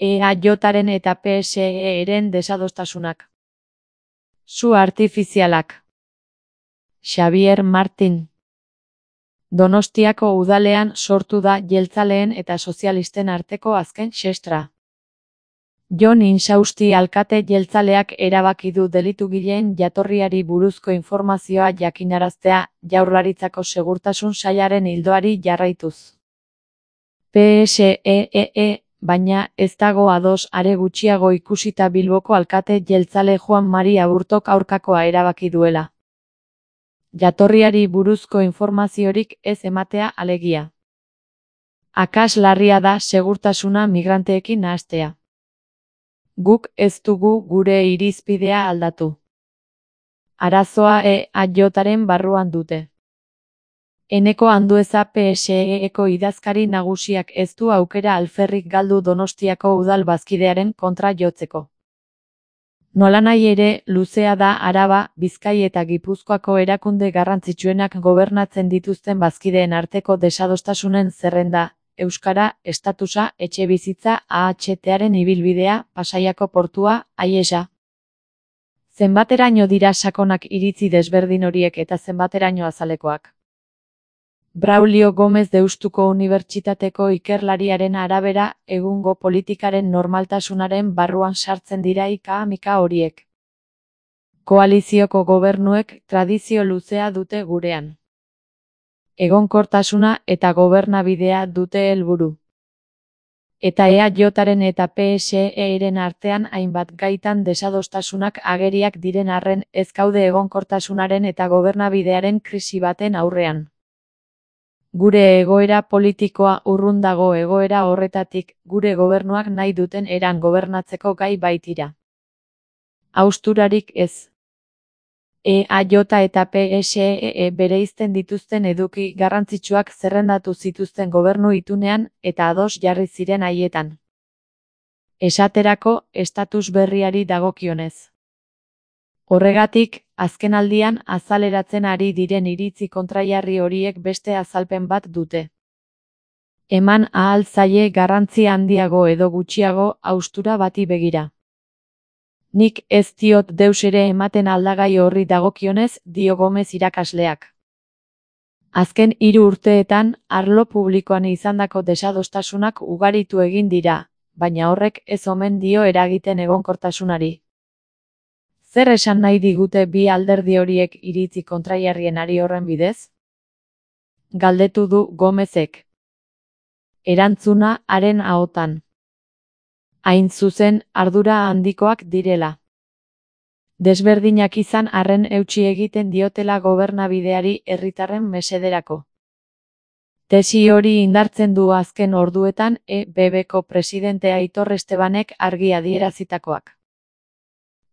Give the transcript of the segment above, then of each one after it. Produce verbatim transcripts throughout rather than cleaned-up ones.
E A Jaren eta P S E-ren desadostasunak. Su artifizialak. Xavier Martin. Donostiako udalean sortu da jeltzaleen eta sozialisten arteko azken xestra. Jon Insausti alkate jeltzaleak erabaki du delitugileen jatorriari buruzko informazioa jakinaraztea Jaurlaritzako Segurtasun Sailaren ildoari jarraituz. P S E, baina ez dago ados are gutxiago ikusita Bilboko alkate jeltzale Juan Mari Aburtok aurkakoa erabaki duela. Jatorriari buruzko informaziorik ez ematea alegia. Akats larria da segurtasuna migranteekin nahastea. Guk ez dugu gure irizpidea aldatu. Arazoa E A Jaren barruan dute. Eneko Andueza P S E-eko idazkari nagusiak ez du aukera alferrik galdu Donostiako udal bazkidearen kontra jotzeko. Nolanahi ere, luzea da Araba, Bizkai eta Gipuzkoako erakunde garrantzitsuenak gobernatzen dituzten bazkideen arteko desadostasunen zerrenda, euskara, estatusa, etxebizitza, A H T-aren ibilbidea, Pasaiako portua, Aiesa. Zenbateraino dira sakonak iritzi desberdin horiek eta zenbateraino azalekoak. Braulio Gomez Deustuko Unibertsitateko ikerlariaren arabera, egungo politikaren normaltasunaren barruan sartzen dira ika-mika horiek. Koalizioko gobernuek tradizio luzea dute gurean. Egonkortasuna eta gobernabidea dute helburu. Eta E A Jaren eta P S E-ren artean hainbat gaitan desadostasunak ageriak diren arren ez gaude egonkortasunaren eta gobernabidearen krisi baten aurrean. Gure egoera politikoa urrun dago egoera horretatik, gure gobernuak nahi duten eran gobernatzeko gai baitira. Hausturarik ez. E A J eta P S E bereizten dituzten eduki garrantzitsuak zerrendatu zituzten gobernu itunean eta ados jarri ziren haietan. Esaterako, estatus berriari dagokionez. Horregatik, azkenaldian azaleratzen ari diren iritzi kontrajarri horiek beste azalpen bat dute. Eman ahal zaie garrantzi handiago edo gutxiago haustura bati begira. Nik ez diot deus ere ematen aldagai horri dagokionez, dio Gomez irakasleak. Azken hiru urteetan, arlo publikoan izandako desadostasunak ugaritu egin dira, baina horrek ez omen dio eragiten egonkortasunari. Zer esan nahi digute bi alderdi horiek iritzi kontrajarrien ari horren bidez? Galdetu du Gomezek. Erantzuna haren ahotan. Hain zuzen, ardura handikoak direla. Desberdinak izan arren eutsi egiten diotela gobernabideari herritarren mesederako. Tesi hori indartzen du azken orduetan E B B-ko presidente Aitor Estebanek argi adierazitakoak.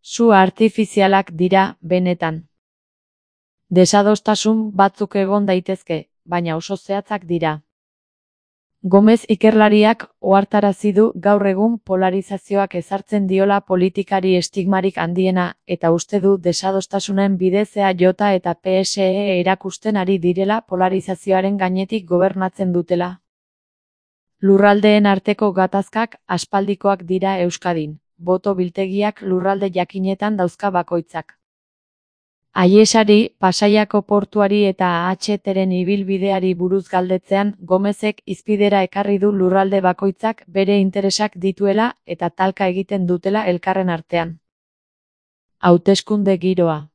Su artifizialak dira, benetan. Desadostasun batzuk egon daitezke, baina oso zehatzak dira. Gomez ikerlariak ohartarazi du gaur egun polarizazioak ezartzen diola politikari estigmarik handiena eta uste du desadostasunen bidez E A J eta P S E erakusten ari direla polarizazioaren gainetik gobernatzen dutela. Lurraldeen arteko gatazkak aspaldikoak dira Euskadin. Boto biltegiak lurralde jakinetan dauzka bakoitzak. Aiesari, Pasaiako portuari eta A H T-ren ibilbideari buruz galdetzean, Gomezek hizpidera ekarri du lurralde bakoitzak bere interesak dituela eta talka egiten dutela elkarren artean. Hauteskunde giroa.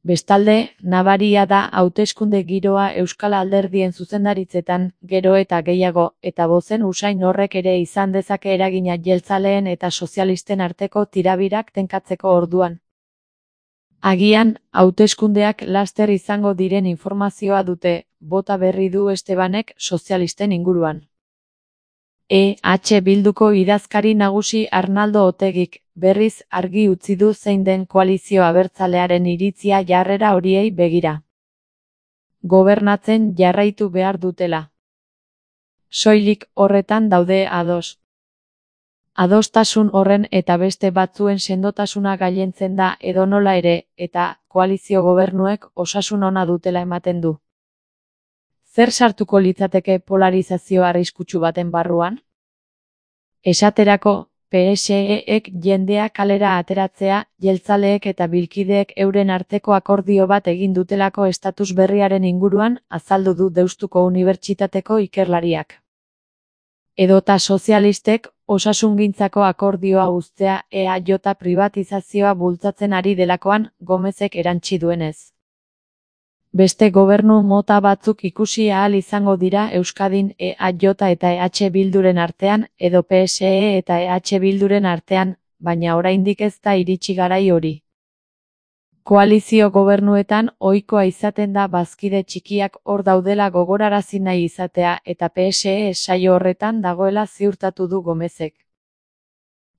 Bestalde, nabaria da hauteskunde giroa Euskal Alderdien zuzendaritzetan, gero eta gehiago, eta bozen usain horrek ere izan dezake eragina jeltzaleen eta sozialisten arteko tirabirak tenkatzeko orduan. Agian, hauteskundeak laster izango diren informazioa dute, bota berri du Estebanek sozialisten inguruan. E H Bilduko idazkari nagusi Arnaldo Otegik, berriz argi utzi du zein den koalizio abertzalearen iritzia jarrera horiei begira. Gobernatzen jarraitu behar dutela. Soilik horretan daude ados. Adostasun horren eta beste batzuen sendotasuna gailentzen da edonola ere, eta koalizio gobernuek osasun ona dutela ematen du. Zer sartuko litzateke polarizazio arriskutsu baten barruan? Esaterako, P S E-ek jendea kalera ateratzea, jeltzaleek eta bilkideek euren arteko akordio bat egin dutelako estatus berriaren inguruan, azaldu du Deustuko Unibertsitateko ikerlariak. Edota sozialistek, osasungintzako akordioa uztea E A J pribatizazioa bultzatzen ari delakoan, Gomezek erantsi duenez. Beste gobernu mota batzuk ikusi ahal izango dira Euskadin E A J eta E H Bilduren artean, edo P S E eta E H Bilduren artean, baina oraindik ez da iritsi garai hori. Koalizio gobernuetan ohikoa izaten da bazkide txikiak hor daudela gogorarazi nahi izatea eta P S E saio horretan dagoela ziurtatu du Gomezek.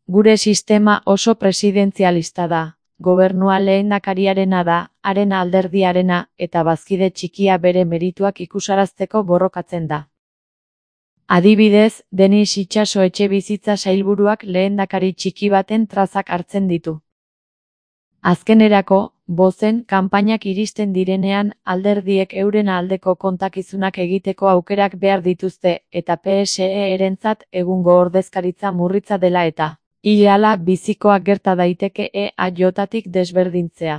Gure sistema oso presidentzialista da. Gobernua lehendakariarena da, haren alderdiarena, eta bazkide txikia bere merituak ikusarazteko borrokatzen da. Adibidez, Denis Itxaso etxebizitza sailburuak lehendakari txiki baten trazak hartzen ditu. Azkenerako, bozen kanpainak iristen direnean, alderdiek euren aldeko kontakizunak egiteko aukerak behar dituzte, eta P S E-erentzat egungo ordezkaritza murritza dela eta ileala bizikoa gerta daiteke E A J-tik desberdintzea.